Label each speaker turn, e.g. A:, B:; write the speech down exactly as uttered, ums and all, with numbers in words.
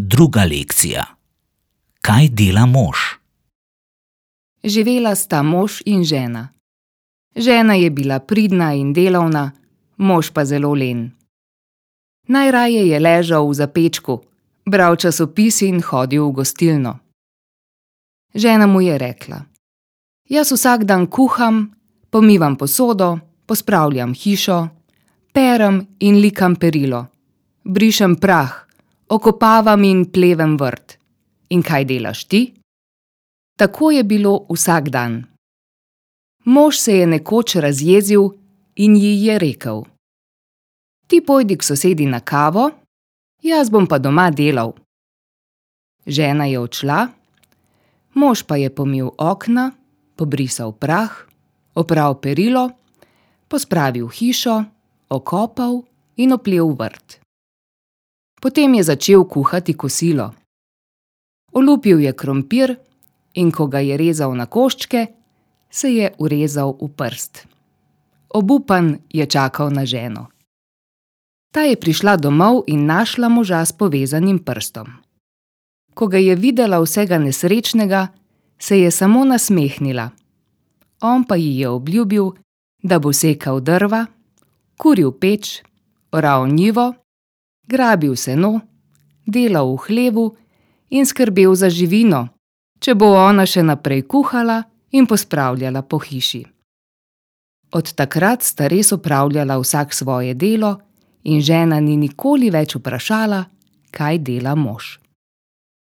A: Druga lekcija. Kaj dela mož?
B: Živela sta mož in žena. Žena je bila pridna in delavna, mož pa zelo len. Najraje je ležal v zapečku, bral časopis in hodil v gostilno. Žena mu je rekla: Jaz vsak dan kuham, pomivam posodo, pospravljam hišo, perem in likam perilo, brišem prah, okopavam in plevem vrt. In kaj delaš ti? Tako je bilo vsak dan. Mož se je nekoč razjezil in ji je rekel: Ti pojdi k sosedi na kavo, jaz bom pa doma delal. Žena je odšla, mož pa je pomil okna, pobrisal prah, opral perilo, pospravil hišo, okopal in oplel vrt. Potem je začel kuhati kosilo. Olupil je krompir in ko ga je rezal na koščke, se je urezal v prst. Obupan je čakal na ženo. Ta je prišla domov in našla moža s povezanim prstom. Ko ga je videla vsega nesrečnega, se je samo nasmehnila. On pa ji je obljubil, da bo sekal drva, kuril peč, oral njivo, grabil seno, delal v hlevu in skrbel za živino, če bo ona še naprej kuhala in pospravljala po hiši. Od takrat sta res opravljala vsak svoje delo in žena ni nikoli več vprašala, kaj dela mož.